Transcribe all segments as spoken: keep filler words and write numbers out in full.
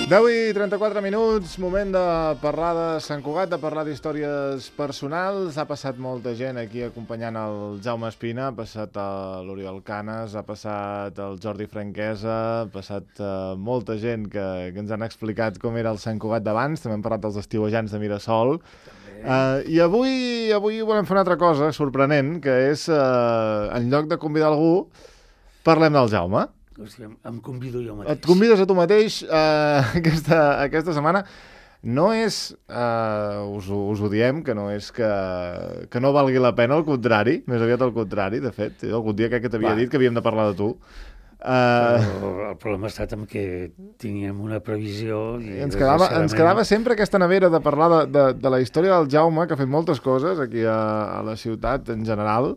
deu i trenta-quatre minuts, moment de parlar de Sant Cugat, de parlar d'històries personals. Ha passat molta gent aquí acompanyant el Jaume Espina, ha passat l'Oriol Canes, ha passat el Jordi Franquesa, ha passat uh, molta gent que, que ens han explicat com era el Sant Cugat d'abans. També hem parlat dels estiuejants de Mirasol. Uh, I avui, avui volem fer una altra cosa sorprenent, que és, uh, en lloc de convidar algú, parlem del Jaume. Hòstia, em convido jo mateix. Et convides a tu mateix uh, aquesta, aquesta setmana. No és, uh, us, ho, us ho diem, que no és que, que no valgui la pena, al contrari, més aviat al contrari, de fet. Algun dia crec que t'havia dit que havíem de parlar de tu. Uh... El problema ha estat amb que teníem una previsió... I ens, quedava, ens quedava sempre aquesta nevera de parlar de, de, de la història del Jaume, que ha fet moltes coses aquí a, a la ciutat en general.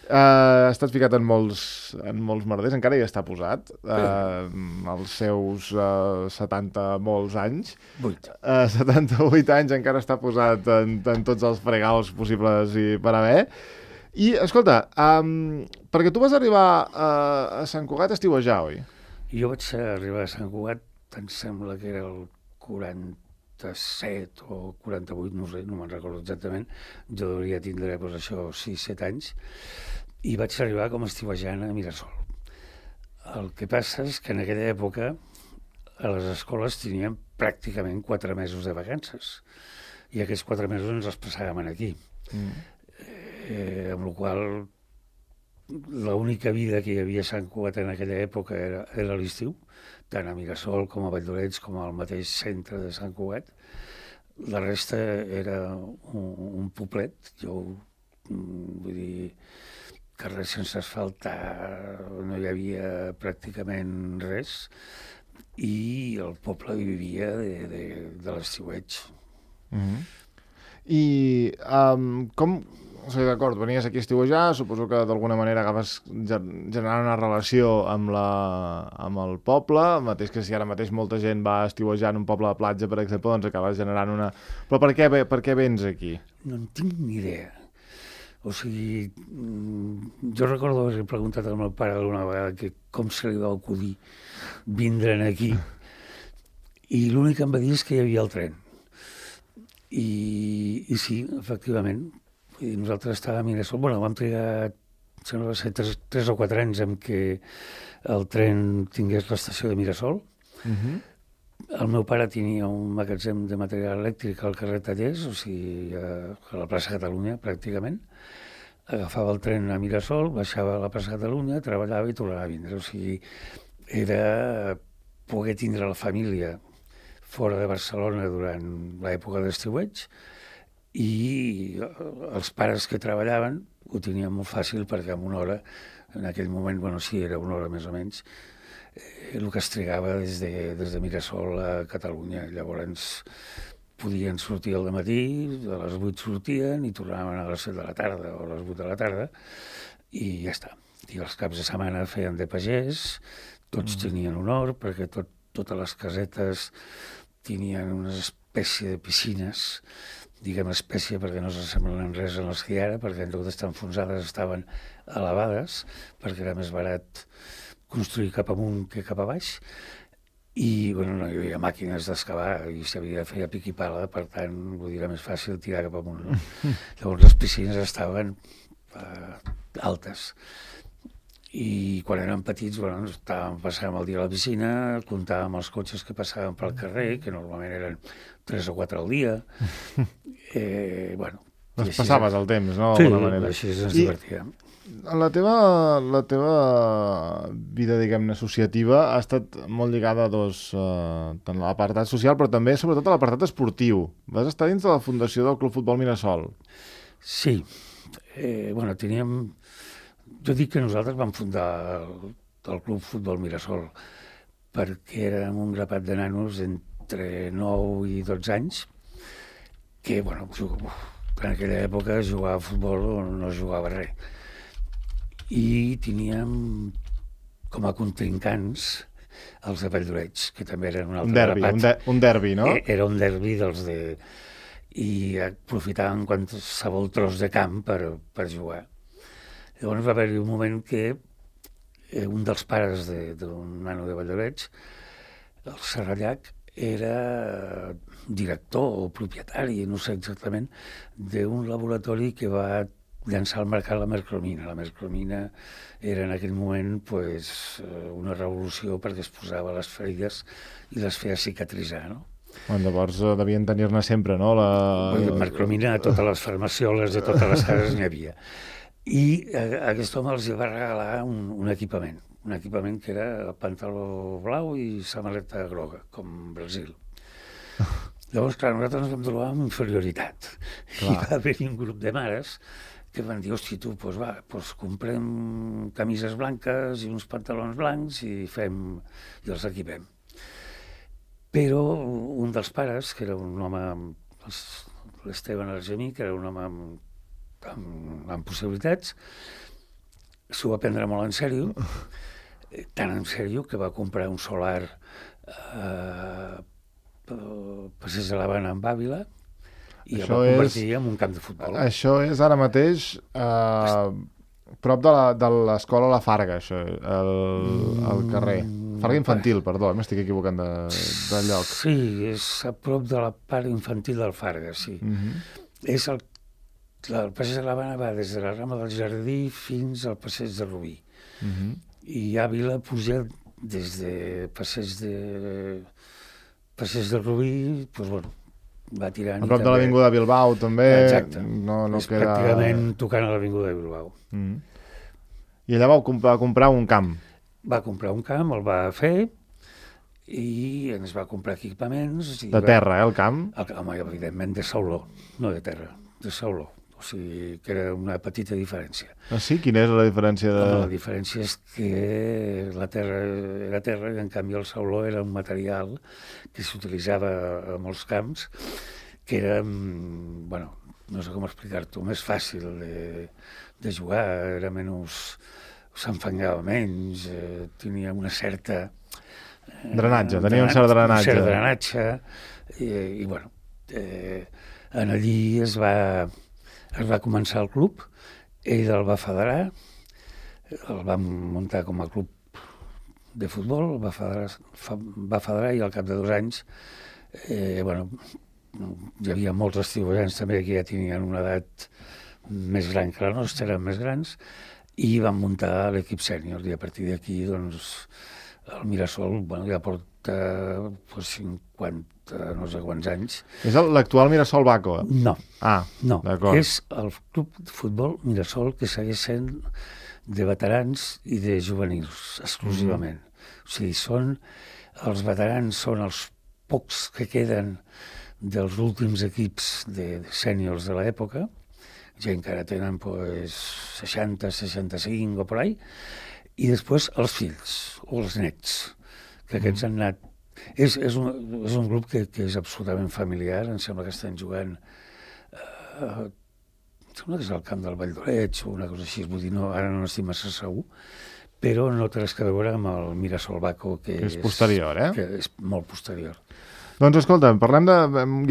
Uh, ha estat ficat en molts, en molts merders, encara hi està posat, uh, als seus uh, setanta molts anys. Vuit. Uh, setanta-vuit anys encara està posat en, en tots els fregaus possibles i per haver. I, escolta, um, perquè tu vas arribar a, a Sant Cugat a estiuejar, oi? Jo vaig arribar a Sant Cugat, em sembla que era el quaranta-set o quaranta-vuit, no sé, no me'n recordo exactament. Jo devia tindre, doncs, això, sis set anys. I vaig arribar com a estiuejant a Mirasol. El que passa és que en aquella època a les escoles teníem pràcticament quatre mesos de vacances i aquests quatre mesos ens els passàvem aquí. Mm. Eh, amb la qual l'única vida que hi havia a Sant Cugat en aquella època era, era l'estiu, tant a Mirasol com a Valldoreix com al mateix centre de Sant Cugat. La resta era un, un poblet, jo vull dir... carrers sense asfaltar, no hi havia pràcticament res, i el poble vivia de, de, de l'estiueig. Mm-hmm. I um, com... O sigui, d'acord, venies aquí a estiuejar, suposo que d'alguna manera acabes generant una relació amb, la, amb el poble, mateix que si ara mateix molta gent va a estiuejar en un poble de platja, per exemple, doncs acabes generant una... Però per què, per què vens aquí? No en tinc ni idea. O sigui, jo recordo haver preguntat al meu pare alguna vegada que com se li va acudir vindre'n aquí, i l'únic que em va dir és que hi havia el tren. I, i sí, efectivament, nosaltres estàvem a Mirasol, bueno, vam trigar, sembla que ser tres, tres o quatre anys en què el tren tingués l'estació de Mirasol. Uh-huh. El meu pare tenia un magatzem de material elèctric al carrer Tallers, o sigui, a la plaça Catalunya, pràcticament. Agafava el tren a Mirasol, baixava a la plaça Catalunya, treballava i tornava a vindre. O sigui, era poder tindre la família fora de Barcelona durant l'època d'estiueig, i els pares que treballaven ho tenien molt fàcil perquè en una hora, en aquell moment, bueno, sí, era una hora més o menys, el que es trigava des de, des de Mirasol a Catalunya. Llavors podien sortir al matí, a les vuit sortien i tornaven a les set de la tarda o a les vuit de la tarda i ja està. I els caps de setmana feien de pagès, tots mm. tenien un hort perquè tot, totes les casetes tenien una espècie de piscines, diguem espècie perquè no s'assemblen en res a les que hi ara, perquè en lloc d'estar enfonsades estaven elevades, perquè era més barat construir cap amunt que cap a baix, i bueno, no hi havia màquines d'excavar i s'havia de fer a pic i pala, per tant, vull dir, era més fàcil tirar cap amunt. No? Llavors les piscines estaven uh, altes. I quan érem petits, bueno, estàvem, passàvem el dia a la piscina, comptàvem els cotxes que passaven pel carrer, que normalment eren tres o quatre al dia. Eh, bueno, doncs passaves el temps, no? Sí, manera. Així ens I... divertíem. La teva, la teva vida, diguem-ne, associativa ha estat molt lligada a dos, uh, tant a l'apartat social, però també, sobretot, a l'apartat esportiu. Vas estar dins de la fundació del Club Futbol Mirasol. Sí. Eh, bueno, teníem... Jo dic que nosaltres vam fundar el, el Club Futbol Mirasol perquè érem un grapat de nanos entre nou i dotze anys que, bueno, en aquella època jugava a futbol o no jugava res. I teníem com a contrincants els de Valldoreix, que també eren un altre un derbi, grapat. Un, de, un derbi, no? Era un derbi dels de... I aprofitaven qualsevol tros de camp per, per jugar. Llavors va haver-hi un moment que eh, un dels pares d'un nano de Valldoreix, el Serrallac, era director o propietari, no sé exactament, d'un laboratori que va llançar al mercat la mercromina. La mercromina era en aquell moment pues, una revolució perquè es posava a les ferides i les feia cicatritzar, no? Bueno, llavors uh, devien tenir-ne sempre, no? La... La mercromina a totes les farmacioles de totes les cases n'hi havia. I uh, aquest home els va regalar un, un equipament, un equipament que era pantaló blau i samarreta groga, com Brasil. Llavors, clar, nosaltres ens vam trobar amb inferioritat. Clar. I va haver-hi un grup de mares que van dir, hosti, tu, doncs va, doncs comprem camises blanques i uns pantalons blancs i fem, i els equipem. Però un dels pares, que era un home, l'Esteban Argemí, que era un home amb, amb, amb possibilitats, s'ho va prendre molt en sèrio, tan en sèrio que va comprar un solar eh, Passeig de l'Havana en Bàvila, i el va convertir és, en un camp de futbol. Això és ara mateix eh, prop de l'escola La Farga, això, el, el carrer. Farga infantil, perdó, m'estic equivocant de, de lloc. Sí, és a prop de la part infantil del Farga, sí. Uh-huh. És el, el Passeig de l'Havana va des de la Rambla del Jardí fins al Passeig de Rubí. Uh-huh. I Àvila puja des de Passeig de... Passeig de Rubí, doncs, bueno, va tirant... A prop de l'Avinguda Bilbao, també. Exacte. No, no és queda... pràcticament tocant a l'Avinguda Bilbao. Mm. I allà vau comp comprar un camp. Va comprar un camp, el va fer, i ens va comprar equipaments... I de va... terra, eh, el camp? El, home, evidentment, de sauló, no de terra, de sauló. O sigui, que era una petita diferència. Ah, sí? Quina és la diferència? De... La diferència és que la terra era terra i, en canvi, el sauló era un material que s'utilitzava a molts camps, que era, bueno, no sé com explicar-t'ho, més fàcil de, de jugar, era menys... s'enfangava menys, eh, tenia una certa... Eh, drenatge, tenia un cert drenatge. Un cert drenatge, i, i bueno, eh, en allí es va, es va començar el club, ell el va federar, el va muntar com a club de futbol, el va federar, fa, va federar i al cap de dos anys, eh, bueno, hi havia molts estiuejants també que ja tenien una edat més gran que la nostra, eren més grans, i van muntar l'equip sènior, i a partir d'aquí, doncs, el Mirasol, bueno, ja porta pues, cinquanta, no sé quants anys. És l'actual Mirasol Baco? No. Ah, no. D'acord. És el club de futbol Mirasol que segueix sent de veterans i de juvenils, exclusivament. Mm. O sigui, són, els veterans són els pocs que queden dels últims equips de, de sèniors de l'època, ja encara tenen pues, seixanta, seixanta-cinc o per ahí, i després els fills o els nets, que aquests mm. han anat... És, és, un, és un grup que, que és absolutament familiar, em sembla que estan jugant... Eh, em sembla que és al camp del Vall d'Oreig o una cosa així, vull dir, no, ara no n'estic massa segur, però no té res que veure amb el Mirasol Baco, que, que és posterior, eh? Que és molt posterior. Doncs escolta, parlem de...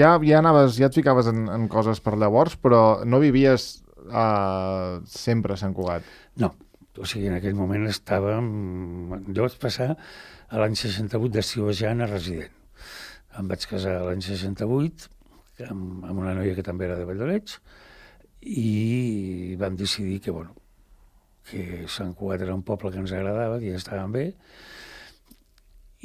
Ja, ja, anaves, ja et ficaves en, en coses per llavors, però no vivies uh, sempre a Sant Cugat. No, o sigui, en aquell moment estàvem... Jo vaig passar a l'any seixanta-vuit d'estiuejant a resident. Em vaig casar l'any seixanta-vuit amb, amb una noia que també era de Vall d'Oreig i vam decidir que, bueno, que Sant Cugat era un poble que ens agradava, que ja estàvem bé,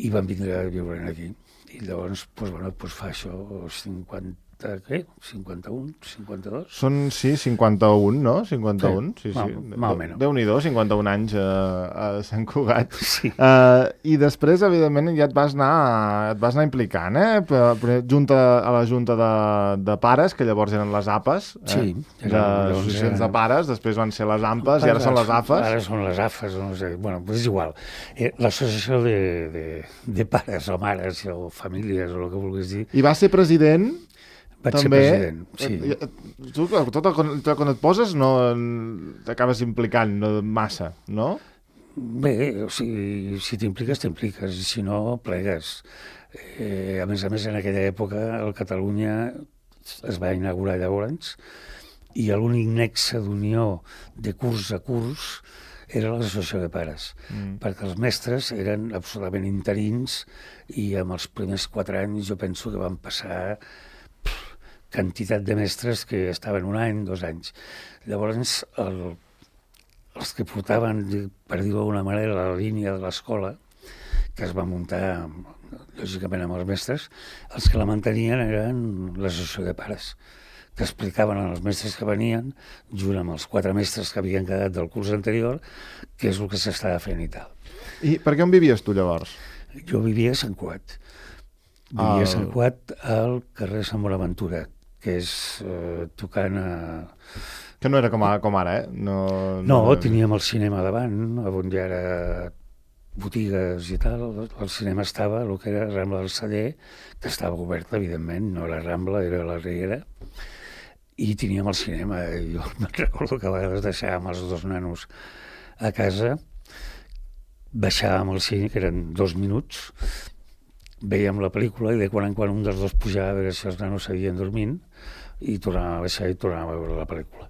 i vam vindre a viure aquí. I llavors, doncs, bueno, doncs fa això, cinquanta, què? cinquanta-un, cinquanta-dos? Són, sí, cinquanta-un, no? cinquanta-un, sí, sí. sí. Mal, mal menys. Déu-n'hi-do, cinquanta-un anys a, a Sant Cugat. Sí. Uh, I després, evidentment, ja et vas anar, et vas anar implicant, eh? Per, junta, a la Junta de, de Pares, que llavors eren les APAs, eh? Sí. Les associacions de pares, després van ser les AMPAs i ara són les AFAs. Ara són les AFAs, no sé, bueno, és igual. Eh, L'associació de, de, de pares o mares o famílies o el que vulguis dir. I vas ser president... Vaig també, ser president, sí. Tu, tot el, tot quan et poses, no t'acabes implicant no, massa, no? Bé, o sigui, si t'impliques, t'impliques, i si no, plegues. Eh, a més a més, en aquella època, el Catalunya es va inaugurar llavors, i l'únic nexe d'unió de curs a curs era l'associació de pares, mm. perquè els mestres eren absolutament interins i amb els primers quatre anys jo penso que van passar pff, quantitat de mestres que estaven un any, dos anys. Llavors, el, els que portaven, per dir-ho d'alguna manera, la línia de l'escola, que es va muntar, lògicament, amb els mestres, els que la mantenien eren l'associació de pares, que explicaven als mestres que venien, junt amb els quatre mestres que havien quedat del curs anterior, què és el que s'estava fent i tal. I per què on vivies tu, llavors? Jo vivia a Sant Cugat. Vivia el... a Sant Cugat, al carrer Sant Bonaventura, que és eh, tocant a... Que no era com, a, com ara, eh? No, no, no era... teníem el cinema davant, on hi era botigues i tal. El cinema estava, el que era Rambla del Celler, que estava obert, evidentment, no era Rambla, era la Riera, i teníem el cinema. Jo me'n recordo que a vegades deixàvem els dos nanos a casa, baixàvem al cine, que eren dos minuts, veiem la pel·lícula i de quan en quan un dels dos pujava a veure si els nanos seguien dormint i tornava a baixar i tornava a veure la pel·lícula.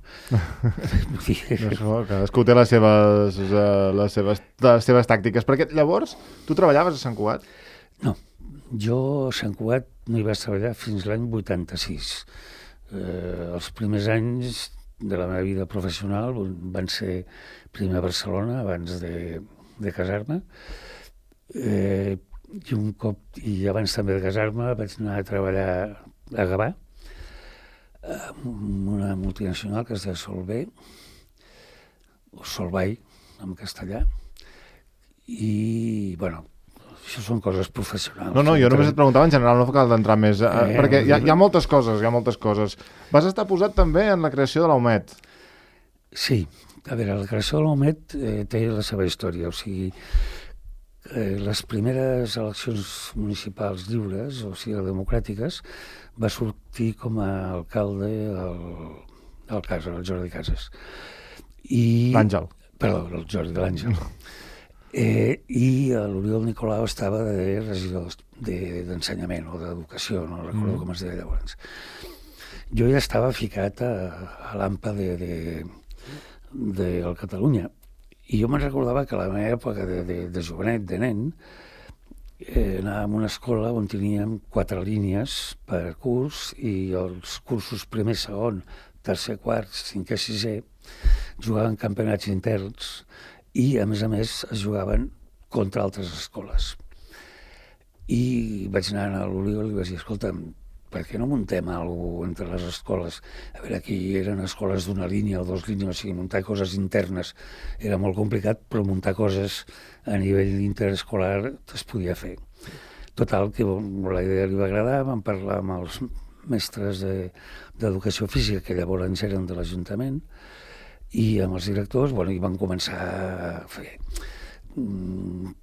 No, cadascú té les seves, les, seves, les seves tàctiques. Perquè llavors tu treballaves a Sant Cugat? No, jo a Sant Cugat no hi vaig treballar fins l'any vuitanta-sis. Eh, els primers anys de la meva vida professional van ser primer a Barcelona, abans de, de casar-me, eh, i un cop, i abans també de casar-me, vaig anar a treballar a Gavà, amb una multinacional que es deia Solvay, o Solvay, en castellà, i, bueno, això són coses professionals. No, no, jo només et preguntava en general, no cal d'entrar més, eh, eh, perquè hi ha, hi ha moltes coses, hi ha moltes coses. Vas estar posat també en la creació de l'A U M E T. Sí, a veure, la creació de l'A U M E T eh, té la seva història, o sigui, eh, les primeres eleccions municipals lliures, o sigui, democràtiques, va sortir com a alcalde el, el Casas, el Jordi Casas. I... L'Àngel. Perdó, el Jordi, l'Àngel. Eh, I l'Oriol Nicolau estava de regidor d'ensenyament o d'educació, no recordo mm. com es deia llavors. Jo ja estava ficat a, a l'AMPA de, de, de, de Catalunya i jo me'n recordava que a la meva època de, de, de jovenet, de nen, eh, anàvem a una escola on teníem quatre línies per curs i els cursos primer, segon, tercer, quart, cinquè, sisè jugaven campionats interns i, a més a més, es jugaven contra altres escoles. I vaig anar a l'Oriol i vaig dir, escolta'm, per què no muntem alguna cosa entre les escoles? A veure, aquí eren escoles d'una línia o dues línies, o sigui, muntar coses internes era molt complicat, però muntar coses a nivell interescolar es podia fer. Total, que la idea li va agradar, vam parlar amb els mestres d'educació física, que llavors eren de l'Ajuntament, i amb els directors, bueno, i van començar a fer.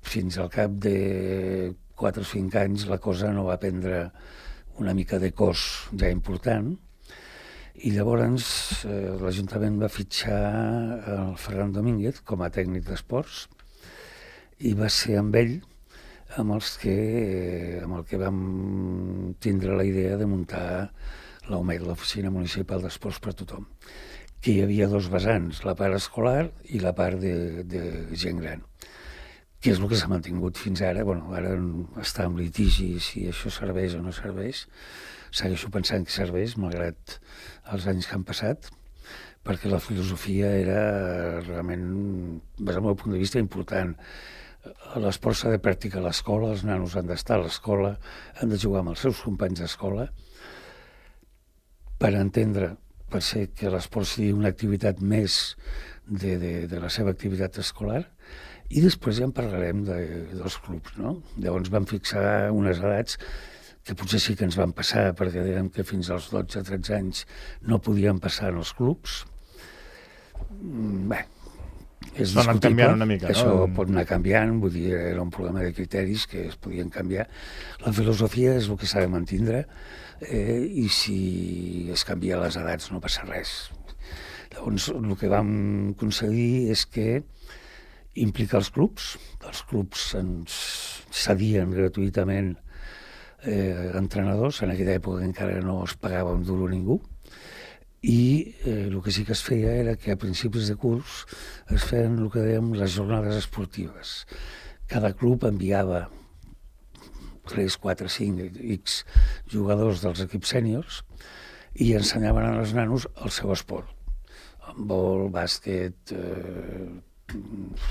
Fins al cap de quatre o cinc anys la cosa no va prendre una mica de cos ja important, i llavors eh, l'Ajuntament va fitxar el Ferran Domínguez com a tècnic d'esports, i va ser amb ell amb, els que, eh, amb el que vam tindre la idea de muntar l'A U M E T, l'Oficina Municipal d'Esports per a Tothom, que hi havia dos vessants, la part escolar i la part de, de gent gran, que és el que s'ha mantingut fins ara. Bueno, ara està en litigi si això serveix o no serveix. Segueixo pensant que serveix, malgrat els anys que han passat, perquè la filosofia era realment, des del meu punt de vista, important. L'esport s'ha de practicar a l'escola, els nanos han d'estar a l'escola, han de jugar amb els seus companys d'escola, per entendre, per ser que l'esport sigui una activitat més de, de, de la seva activitat escolar, i després ja en parlarem de, dels clubs, no? Llavors vam fixar unes edats que potser sí que ens van passar, perquè dèiem que fins als dotze o tretze anys no podíem passar en els clubs. Bé, és discutible, una mica, no? Això pot anar canviant, vull dir, era un problema de criteris que es podien canviar. La filosofia és el que s'ha de mantindre, eh, i si es canvia les edats no passa res. Llavors, el que vam aconseguir és que implicar els clubs, els clubs ens cedien gratuïtament eh, entrenadors, en aquella època encara no es pagava un duro a ningú, i eh, el que sí que es feia era que a principis de curs es feien el que dèiem les jornades esportives. Cada club enviava tres, quatre, cinc, X jugadors dels equips sèniors i ensenyaven als nanos el seu esport. Handbol, bàsquet, eh,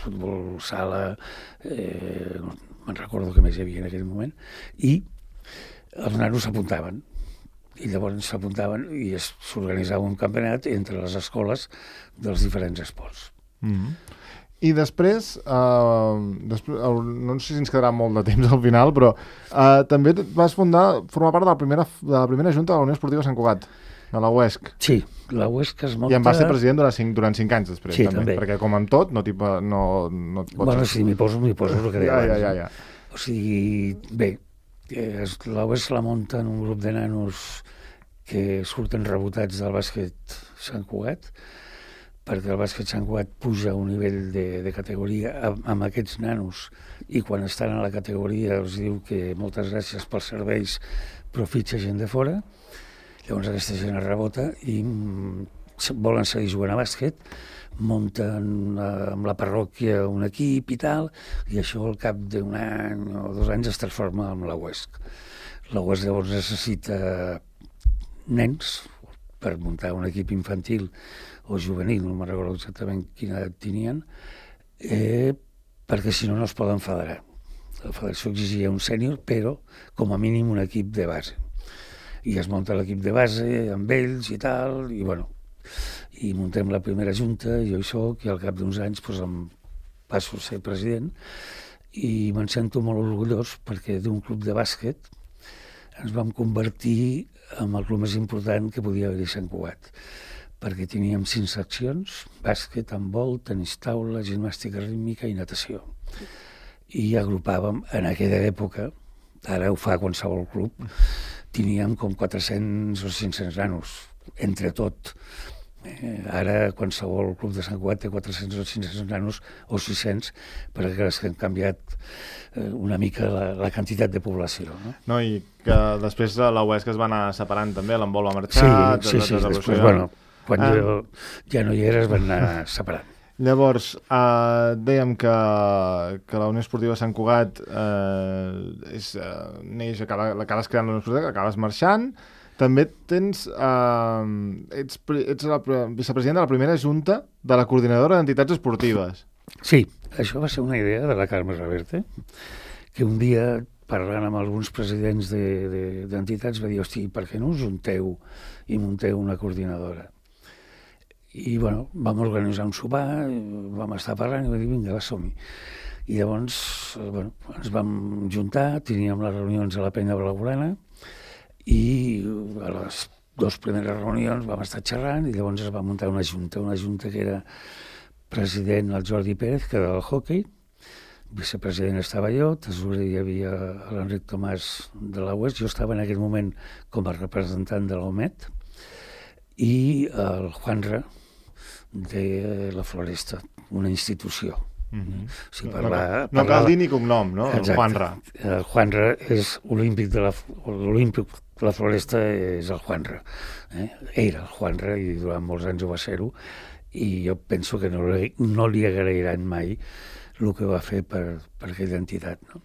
futbol sala, eh, no me'n recordo què més hi havia en aquell moment, i els nanos s'apuntaven. I llavors s'apuntaven i s'organitzava un campionat entre les escoles dels diferents esports. Mm-hmm. I després, eh, després, no sé si ens quedarà molt de temps al final, però eh, també vas fundar, formar part de la primera, de la primera junta de la Unió Esportiva Sant Cugat, de la U E S C. Sí, la U E S C es munta... I en vas ser president durant cinc, durant cinc anys després, sí, també, també, perquè com amb tot, no, no, no et pots... Bueno, si m'hi poso, m'hi poso el que deia ja, abans. Ja, ja, ja. O sigui, bé, la U E S C la munta en un grup de nanos que surten rebotats del bàsquet Sant Cugat, perquè el bàsquet Sant Cugat puja a un nivell de, de categoria amb, amb aquests nanos, i quan estan a la categoria els diu que moltes gràcies pels serveis, però fitxa gent de fora. Llavors aquesta gent es rebota i mm, volen seguir jugant a bàsquet, munten eh, amb la parròquia un equip i tal, i això al cap d'un any o dos anys es transforma en la U E S C. La U E S C llavors necessita nens per muntar un equip infantil o juvenil, no me'n recordo exactament quina edat tenien, eh, perquè si no no es poden federar. La federació exigia un sènior, però com a mínim un equip de base. I es munta l'equip de base amb ells i tal, i bueno, i muntem la primera junta, jo hi soc, i al cap d'uns anys doncs, em passo a ser president, i me'n sento molt orgullós perquè d'un club de bàsquet ens vam convertir en el club més important que podia haver-hi a Sant Cugat, perquè teníem cinc seccions: bàsquet, handbol, tenis taula, gimnàstica rítmica i natació. I agrupàvem, en aquella època, ara ho fa qualsevol club, teníem com quatre-cents o cinc-cents nanos, entre tot. Eh, ara qualsevol club de Sant Cugat té quatre-cents o cinc-cents nanos o sis-cents, perquè és que han canviat eh, una mica la, la quantitat de població. No? No, i que després la U E S C es va anar separant també, l'handbol va marxar... Sí, sí, sí, després, bueno, quan ah. jo ja no hi era es van anar separant. Llavors, eh, dèiem que, que la Unió Esportiva Sant Cugat eh, és, eh, neix, acaba, l'acabes creant la Unió Esportiva, acabes marxant. També tens, eh, ets, ets la vicepresident de la primera junta de la coordinadora d'entitats esportives. Sí, això va ser una idea de la Carme Reverte, que un dia, parlant amb alguns presidents d'entitats, de, de, va dir, hosti, per què no us junteu i munteu una coordinadora? I, bueno, vam organitzar un sopar, vam estar parlant i va dir, vinga, va, som-hi. I llavors, bueno, ens vam juntar, teníem les reunions a la Penya Blaugrana, i a les dues primeres reunions vam estar xerrant i llavors es va muntar una junta, una junta que era president el Jordi Pérez, que era del hoquei, vicepresident estava jo, tesorer hi havia l'Enric Tomàs de la U E S C, jo estava en aquell moment com a representant de l'O M E T, i el Juanra de la Floresta, una institució. Mm-hmm. O sigui, parlar, no, no cal dir ni cognom, no? Exacte. El Juanra. El Juanra és olímpic de la, l'olímpic de la Floresta és el Juanra. Eh? Era el Juanra i durant molts anys ho va ser-ho, i jo penso que no, no li agrairan mai el que va fer per, per aquella entitat. No?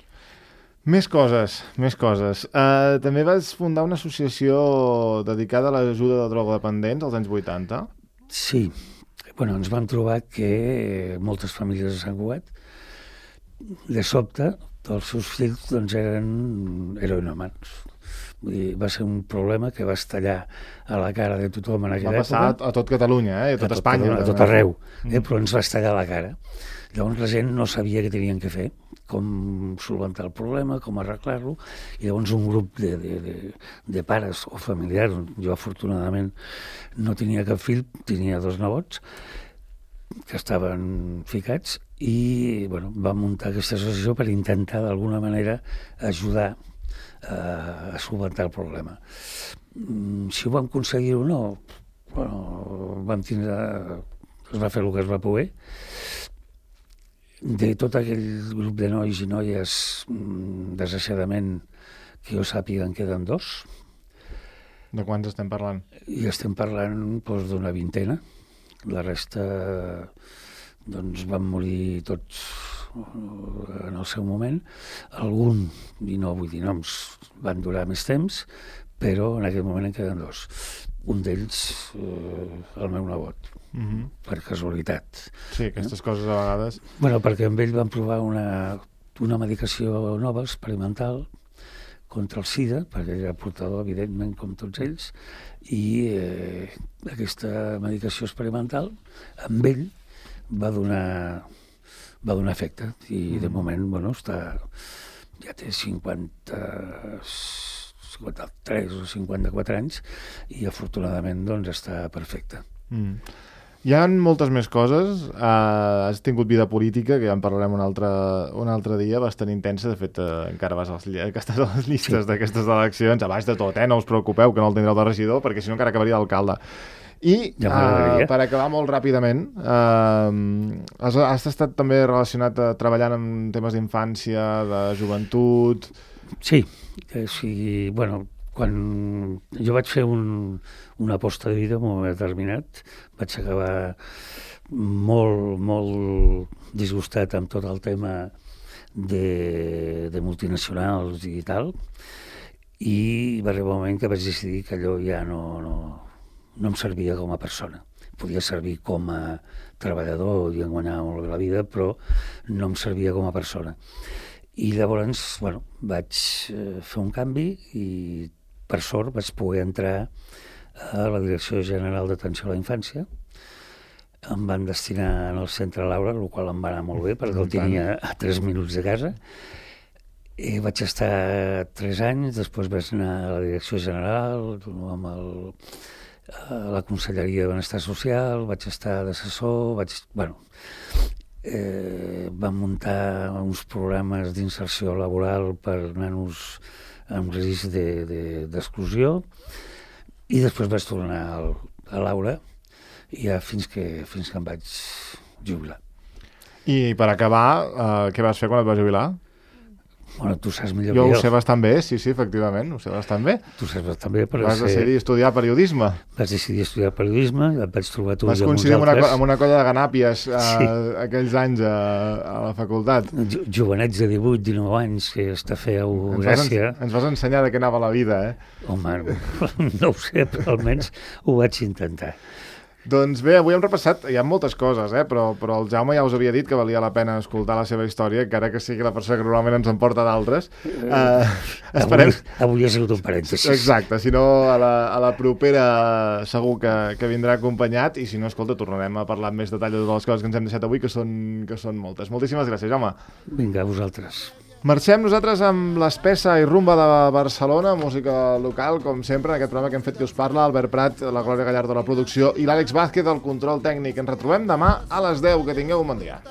Més coses, més coses. Uh, també vas fundar una associació dedicada a l'ajuda de drogodependents als anys vuitanta. Sí. Bueno, ens vam trobar que moltes famílies de Sant Cugat, de sobte, els seus fills doncs, eren heroïnomans. Vull dir, va ser un problema que va estallar a la cara de tothom en aquella època. Va passar a tot Catalunya, eh? a tot a Espanya. Tot, a tot arreu, eh? Però ens va estallar a la cara. Llavors la gent no sabia què tenien que fer, com solventar el problema, com arreglar-lo, i llavors un grup de, de, de, de pares o familiars, jo afortunadament no tenia cap fill, tenia dos nebots, que estaven ficats, i bueno, vam muntar aquesta associació per intentar d'alguna manera ajudar a solventar el problema. Si ho vam aconseguir o no, bueno, vam tindre, es va fer el que es va poder. De tot aquell grup de nois i noies, desgraciadament, que jo sàpiga, en queden dos. De quants estem parlant? I estem parlant doncs, d'una vintena. La resta doncs, van morir tots en el seu moment. Algun, i no vull dir noms, van durar més temps, però en aquell moment en queden dos. Un d'ells, eh, el meu nebot, uh-huh. per casualitat. Sí, aquestes eh? coses a vegades... Bueno, perquè amb ell van provar una, una medicació nova, experimental, contra el SIDA, perquè ell era portador, evidentment, com tots ells, i eh, aquesta medicació experimental, amb ell, va donar, va donar efecte. I de moment, bueno, està, ja té cinquanta... cinquanta-tres o cinquanta-quatre anys i afortunadament doncs està perfecte. Mm. Hi ha moltes més coses. Uh, has tingut vida política, que ja en parlarem un altre, un altre dia, bastant intensa. De fet, uh, encara vas als, que estàs a les llistes sí. d'aquestes eleccions, a baix de tot, eh? No us preocupeu que no el tindreu de regidor, perquè si no encara acabaria d'alcalde. I ja uh, per acabar molt ràpidament, uh, has, has estat també relacionat a, treballant en temes d'infància, de joventut... Sí, o sigui, bueno, quan jo vaig fer un, una aposta de vida en un moment determinat, vaig acabar molt, molt disgustat amb tot el tema de, de multinacionals i tal, i va arribar un moment que vaig decidir que allò ja no, no, no em servia com a persona. Podia servir com a treballador i guanyar molt bé la vida, però no em servia com a persona. I llavors, bueno, vaig eh, fer un canvi i, per sort, vaig poder entrar a la Direcció General d'Atenció a la Infància. Em van destinar en el Centre Laura, el qual em va anar molt bé, perquè el tenia a tres minuts de casa. I vaig estar tres anys, després vaig anar a la Direcció General, amb el, a la Conselleria de Benestar Social, vaig estar d'assessor, vaig... Bueno, Eh, vam muntar uns programes d'inserció laboral per nanos amb risc d'exclusió de, de, i després vaig tornar al, a Laura i ja fins que, fins que em vaig jubilar. I per acabar, eh, què vas fer quan et vas jubilar? Bueno, tu saps millor jo. Jo que ho sé bastant bé, sí, sí, efectivament, ho sé bastant bé. Tu saps bastant bé, però... Vas ser... decidir estudiar periodisme. Vas decidir estudiar periodisme, et vaig trobar tu vas i amb uns coincidir amb una, altres. amb una colla de ganàpies eh, sí. aquells anys a, a la facultat. Jo, jovenets de divuit, dinou anys, que està feu ens gràcia. Vas, ens vas ensenyar de què anava la vida, eh? Home, no ho sé, però almenys ho vaig intentar. Doncs bé, avui hem repassat, hi ha moltes coses, eh? però, però el Jaume ja us havia dit que valia la pena escoltar la seva història, encara que sigui la persona que normalment ens en porta d'altres. Uh, esperem... avui, avui ha sigut un parèntesis. Exacte, si no a la, a la propera segur que, que vindrà acompanyat, i si no, escolta, tornarem a parlar amb més detall de totes les coses que ens hem deixat avui, que són, que són moltes. Moltíssimes gràcies, Jaume. Vinga, a vosaltres. Marxem nosaltres amb l'Espessa i Rumba de Barcelona, música local, com sempre, en aquest programa que hem fet que us parla, Albert Prat, la Glòria Gallardo, la producció, i l'Àlex Vázquez, el control tècnic. Ens retrobem demà a les deu. Que tingueu un bon dia.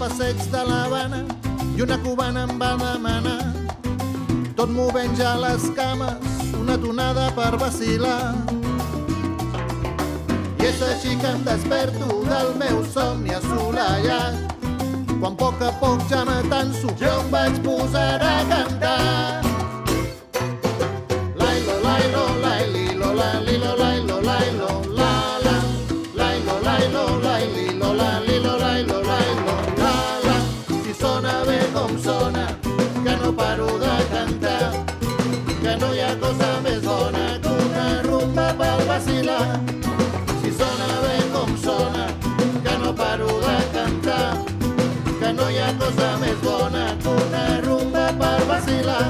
Passeig de l'Havana i una cubana em va demanar, tot movent ja les cames, una tonada per vacilar. I és així que em desperto del meu somni assolellat, quan a poc a poc ja m'atanso, jo em vaig posar a cantar. Lailo, lailo, laililo, laililo, lailo, lailo, la, la, lailo, lailo, laililo, laililo, lailo, lailo. Sona bé com sona, que no paro de cantar, que no hi ha cosa més bona que una rumba pel vacilar. Si sona bé com sona, que no paro de cantar, que no hi ha cosa més bona que una rumba per vacilar.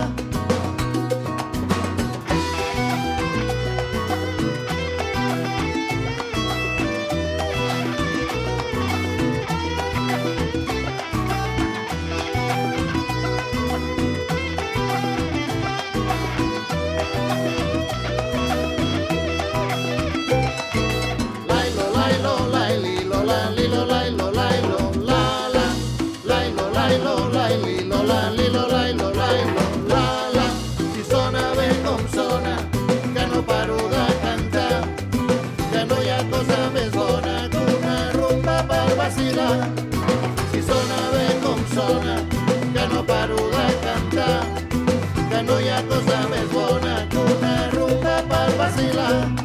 vacilar. Si sona bé com sona, que no paro de cantar, que no hi ha cosa més bona que una rumba per vacilar.